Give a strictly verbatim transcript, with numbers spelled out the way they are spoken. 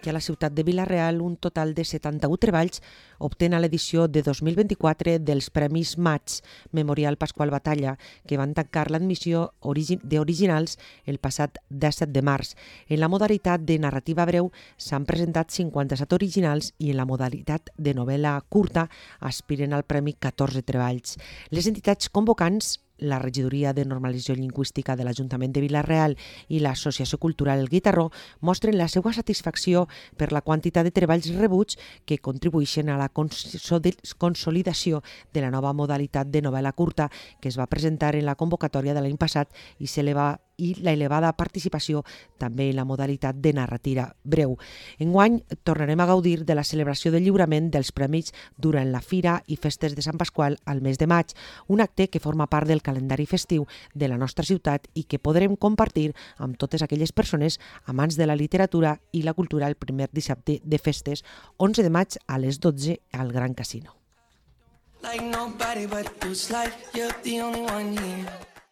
que a la ciutat de Vila-real un total de setanta-u treballs obtenen a l'edició de dos mil vint-i-quatre dels Premis Maig Memorial Pasqual Batalla, que van tancar l'admissió d'originals el passat disset de març. En la modalitat de narrativa breu s'han presentat cinquanta-set originals i en la modalitat de novel·la curta aspiren al Premi catorze treballs. Les entitats convocants, la Regidoria de Normalització Lingüística de l'Ajuntament de Vila-real i l'Associació Cultural El Guitarró, mostren la seva satisfacció per la quantitat de treballs rebuts que contribueixen a la consolidació de la nova modalitat de novel·la curta que es va presentar en la convocatòria de l'any passat i s'eleva i la elevada participació també en la modalitat de narrativa breu. Enguany tornarem a gaudir de la celebració del lliurament dels premis durant la Fira i Festes de Sant Pasqual al mes de maig, un acte que forma part del calendari festiu de la nostra ciutat i que podrem compartir amb totes aquelles persones amants de la literatura i la cultura el primer dissabte de festes, onze de maig a les dotze al Gran Casino. Like nobody but you, like you're the only one here.